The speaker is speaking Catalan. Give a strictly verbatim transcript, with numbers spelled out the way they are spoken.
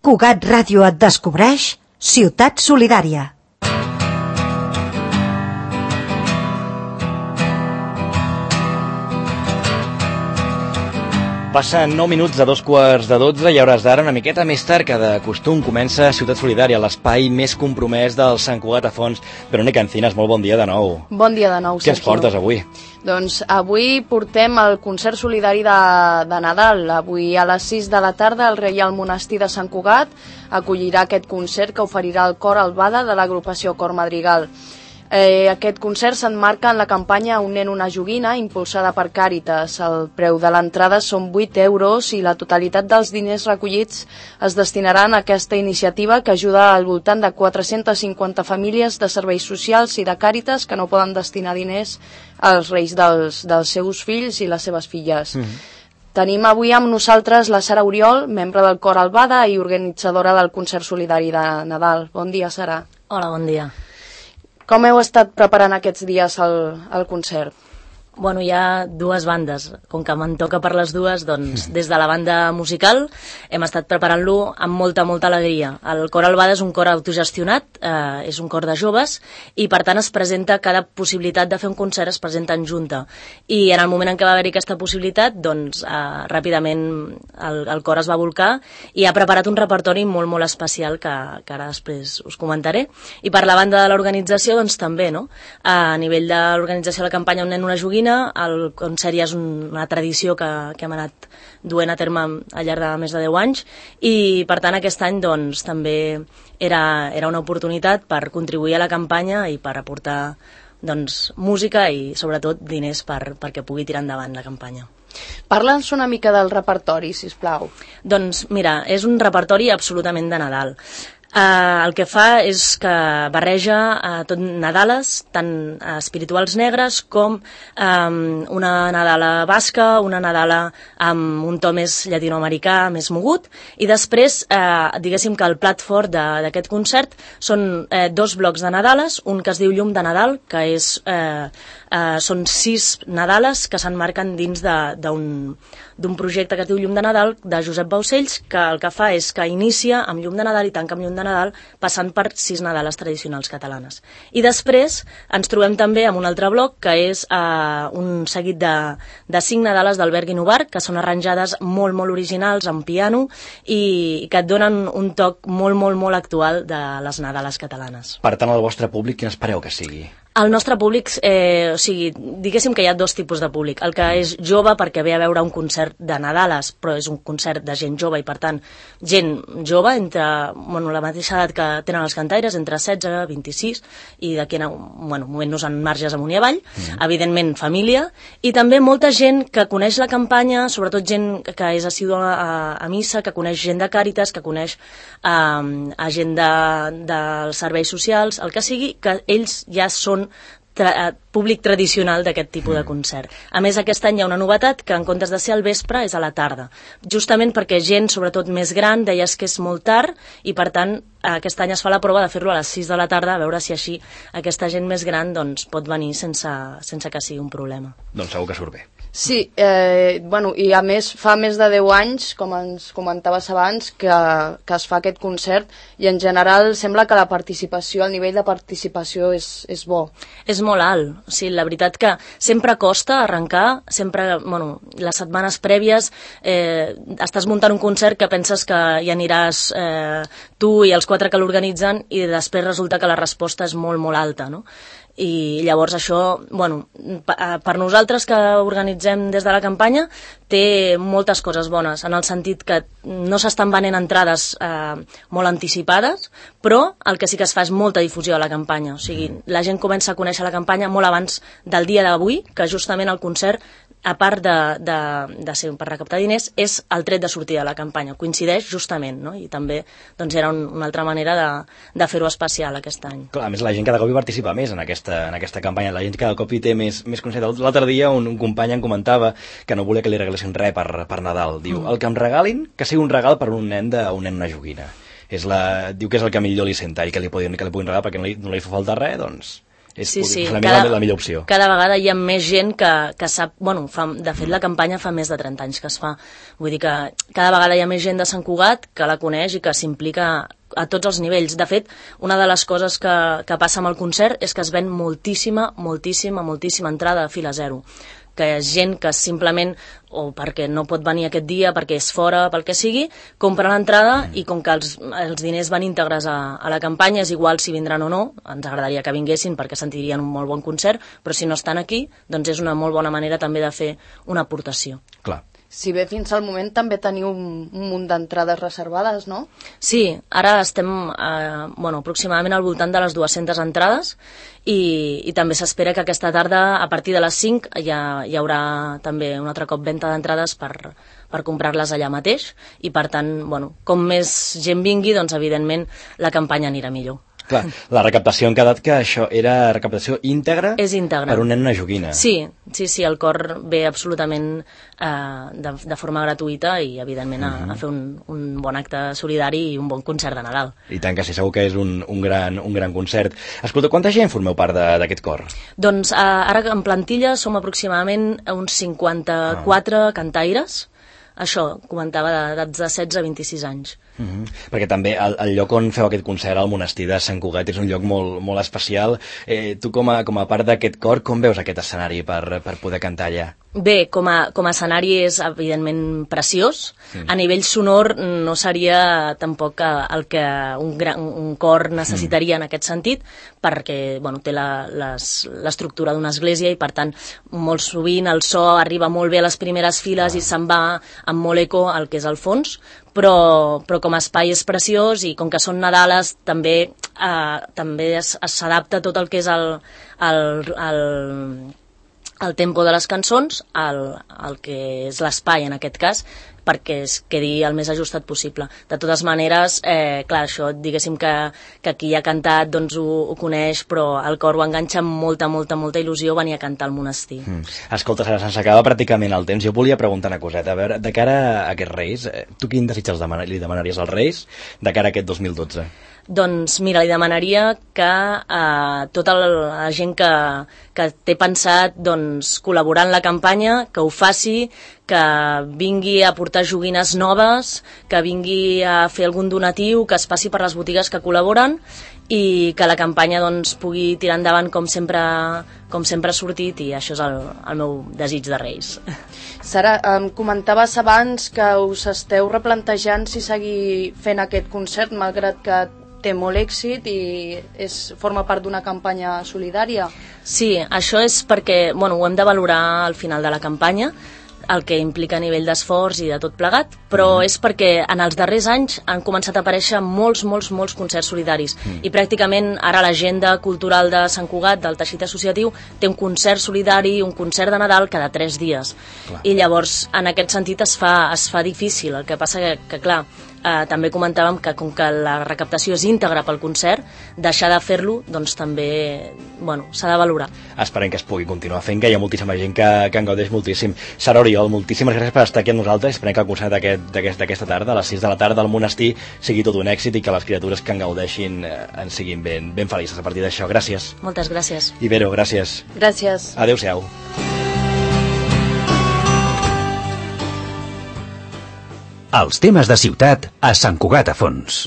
Cugat Ràdio et descobreix Ciutat Solidària. Passen nou minuts de dos quarts de dotze i a hores d'ara, una miqueta més tard que de costum, comença Ciutat Solidària, l'espai més compromès del Sant Cugat a Fons. Verònica Encinas, molt bon dia de nou. Bon dia de nou, Sergio. Què ens portes avui? Doncs avui portem el concert solidari de, de Nadal. Avui a les sis de la tarda el Reial Monestir de Sant Cugat acollirà aquest concert que oferirà el cor Albada de l'agrupació Cor Madrigal. Eh, aquest concert s'emmarca en la campanya Un nen, una joguina, impulsada per Càritas. El preu de l'entrada són vuit euros i la totalitat dels diners recollits es destinaran a aquesta iniciativa que ajuda al voltant de quatre-centes cinquanta famílies de serveis socials i de Càritas que no poden destinar diners als reis dels, dels seus fills i les seves filles. Mm-hmm. Tenim avui amb nosaltres la Sara Oriol, membre del Cor Albada i organitzadora del concert solidari de Nadal. Bon dia, Sara. Hola, bon dia. Com heu estat preparant aquests dies el, el concert? Bueno, hi ha dues bandes. Com que me'n toca per les dues, doncs des de la banda musical hem estat preparant-lo amb molta, molta alegria. El Cor Albada és un cor autogestionat, eh, és un cor de joves i per tant es presenta cada possibilitat de fer un concert, es presenta en junta. I en el moment en què va haver-hi aquesta possibilitat, doncs eh, ràpidament el, el cor es va volcar i ha preparat un repertori molt, molt especial que, que ara després us comentaré. I per la banda de l'organització, doncs també, no? A nivell de l'organització de la campanya Un nen, una joguina, el concert ja és una tradició que, que hem anat duent a terme al llarg de més de deu anys i per tant aquest any doncs també era, era una oportunitat per contribuir a la campanya i per aportar doncs música i sobretot diners per, perquè pugui tirar endavant la campanya. Parla'ns una mica del repertori, sisplau. Doncs mira, és un repertori absolutament de Nadal. Uh, el que fa és que barreja uh, tot Nadales, tant uh, espirituals negres com um, una Nadala basca, una Nadala amb un to més llatinoamericà, més mogut, i després uh, diguéssim que el plat fort d'aquest concert són uh, dos blocs de Nadales, un que es diu Llum de Nadal, que és, uh, uh, són sis Nadales que s'emmarquen dins d'un d'un projecte que es diu Llum de Nadal, de Josep Baucells, que el que fa és que inicia amb Llum de Nadal i tanca amb Llum de Nadal, passant per sis Nadales tradicionals catalanes. I després ens trobem també amb un altre bloc, que és uh, un seguit de, de cinc Nadales d'Albert Guinovart, que són arranjades molt, molt originals, amb piano, i que et donen un toc molt, molt, molt actual de les Nadales catalanes. Per tant, el vostre públic, quin espereu que sigui? El nostre públic, eh, o sigui, diguéssim que hi ha dos tipus de públic. El que és jove perquè ve a veure un concert de Nadales, però és un concert de gent jove i, per tant, gent jove, entre bueno, la mateixa edat que tenen els cantaires, entre setze i vint-i-sis, i d'aquí a bueno, movent-nos en marges amunt i avall, mm. evidentment família, i també molta gent que coneix la campanya, sobretot gent que és assídua a, a missa, que coneix gent de Càritas, que coneix eh, a gent de, dels serveis socials, el que sigui, que ells ja són Tra públic tradicional d'aquest tipus de concert. A més, aquest any hi ha una novetat, que en comptes de ser al vespre és a la tarda, justament perquè gent, sobretot més gran, deies que és molt tard i per tant aquest any es fa la prova de fer-lo a les sis de la tarda, a veure si així aquesta gent més gran doncs, pot venir sense, sense que sigui un problema. Doncs segur que surt bé. Sí, eh, bueno, i a més fa més de deu anys, com ens comentaves abans, que, que es fa aquest concert i en general sembla que la participació, el nivell de participació és, és bo. És molt alt. O sigui, la veritat que sempre costa arrencar, sempre, bueno, les setmanes prèvies eh, estàs muntant un concert que penses que hi aniràs eh, tu i els quatre que l'organitzen i després resulta que la resposta és molt, molt alta, no? I llavors això, bueno, per nosaltres que organitzem des de la campanya té moltes coses bones, en el sentit que no s'estan venent entrades eh, molt anticipades, però el que sí que es fa és molta difusió de la campanya, o sigui, la gent comença a conèixer la campanya molt abans del dia d'avui, que justament el concert, a part de, de, de ser per recaptar diners, és el tret de sortida de la campanya, coincideix justament, no? I també doncs, era un, una altra manera de, de fer-ho especial aquest any. Clar, a més la gent cada cop hi participa més en aquesta, en aquesta campanya, la gent cada cop hi té més, més consciència. L'altre dia un, un company em comentava que no volia que li regalessin res per, per Nadal, diu, mm. el que em regalin, que sigui un regal per un nen de un nen una joguina. És la, diu que és el que millor li senta i que li, podien, que li puguin regalar perquè no li, no li fa falta res, doncs És sí, sí. la, cada, la millor opció. Cada vegada hi ha més gent que, que sap... Bueno, fa, de fet, la campanya fa més de trenta anys que es fa. Vull dir que cada vegada hi ha més gent de Sant Cugat que la coneix i que s'implica a tots els nivells. De fet, una de les coses que, que passa amb el concert és que es ven moltíssima, moltíssima, moltíssima entrada a fila zero. Que és gent que simplement, o perquè no pot venir aquest dia, perquè és fora, pel que sigui, compra l'entrada i com que els, els diners van íntegres a, a la campanya, és igual si vindran o no, ens agradaria que vinguessin perquè sentirien un molt bon concert, però si no estan aquí, doncs és una molt bona manera també de fer una aportació. Clar. Si bé fins al moment també teniu un, un munt d'entrades reservades, no? Sí, ara estem eh, bueno, aproximadament al voltant de les dues-centes entrades i, i també s'espera que aquesta tarda, a partir de les cinc, hi, ha, hi haurà també un altre cop venda d'entrades per, per comprar-les allà mateix i, per tant, bueno, com més gent vingui, doncs, evidentment, la campanya anirà millor. Clar, la recaptació han quedat que això era recaptació íntegra, és íntegra per un nen i una joguina. Sí, sí, sí, el cor ve absolutament eh, de, de forma gratuïta i, evidentment, a, a fer un, un bon acte solidari i un bon concert de Nadal. I tant que sí, segur que és un, un, gran, un gran concert. Escolta, quanta gent formeu part d'aquest cor? Doncs eh, ara en plantilla som aproximadament uns cinquanta-quatre ah. cantaires. Això, comentava, d'edats de setze a vint-i-sis anys. Uh-huh. Perquè també el, el lloc on feu aquest concert, al monestir de Sant Cugat, és un lloc molt, molt especial. Eh, tu, com a, com a part d'aquest cor, com veus aquest escenari per, per poder cantar allà? Bé, com a, com a escenari és evidentment preciós. Sí. A nivell sonor no seria tampoc el que un, gran, un cor necessitaria mm. en aquest sentit, perquè bueno, té l'estructura d'una església i per tant molt sovint el so arriba molt bé a les primeres files ah. i se'n va amb molt eco al que és el fons, però, però com a espai és preciós i com que són Nadales també eh, també s'adapta tot el que és el, el, el el tempo de les cançons al, al que és l'espai en aquest cas, perquè es quedi el més ajustat possible. De totes maneres, eh, clar, això diguéssim que, que qui ha cantat doncs ho, ho coneix, però el cor ho enganxa amb molta, molta, molta il·lusió venir a cantar al monestir. Mm. Escolta, Sara, se'ns acaba pràcticament el temps. Jo volia preguntar una coseta. A veure, de cara a aquests Reis, tu quin desig els demana, li demanaries als Reis de cara a aquest dos mil dotze? Doncs mira, li demanaria que eh, tota la gent que, que té pensat doncs, col·laborar en la campanya, que ho faci, que vingui a portar joguines noves, que vingui a fer algun donatiu, que es passi per les botigues que col·laboren i que la campanya doncs, pugui tirar endavant com sempre, com sempre ha sortit i això és el, el meu desig de Reis. Sara, em comentaves abans que us esteu replantejant si seguir fent aquest concert malgrat que té molt èxit i és, forma part d'una campanya solidària. Sí, això és perquè bueno, ho hem de valorar al final de la campanya, el que implica a nivell d'esforç i de tot plegat, però mm. és perquè en els darrers anys han començat a aparèixer molts, molts, molts concerts solidaris mm. i pràcticament ara l'agenda cultural de Sant Cugat, del teixit associatiu, té un concert solidari, un concert de Nadal cada tres dies. Clar. I llavors, en aquest sentit, es fa, es fa difícil. El que passa que, que clar, eh, també comentàvem que com que la recaptació és íntegra pel concert, deixar de fer-lo, doncs també, bueno, s'ha de valorar. Esperem que es pugui continuar fent, que hi ha moltíssima gent que, que en gaudeix moltíssim. Sara Oriol, moltíssimes gràcies per estar aquí amb nosaltres. Esperem que el concert d'aquesta aquest, aquest, tarda, a les sis de la tarda al monestir, sigui tot un èxit i que les criatures que en gaudeixin eh, en siguin ben, ben felices a partir d'això. Gràcies. Moltes gràcies. Ibero, gràcies. Gràcies. Adéu-siau. Els temes de ciutat a Sant Cugat a Fons.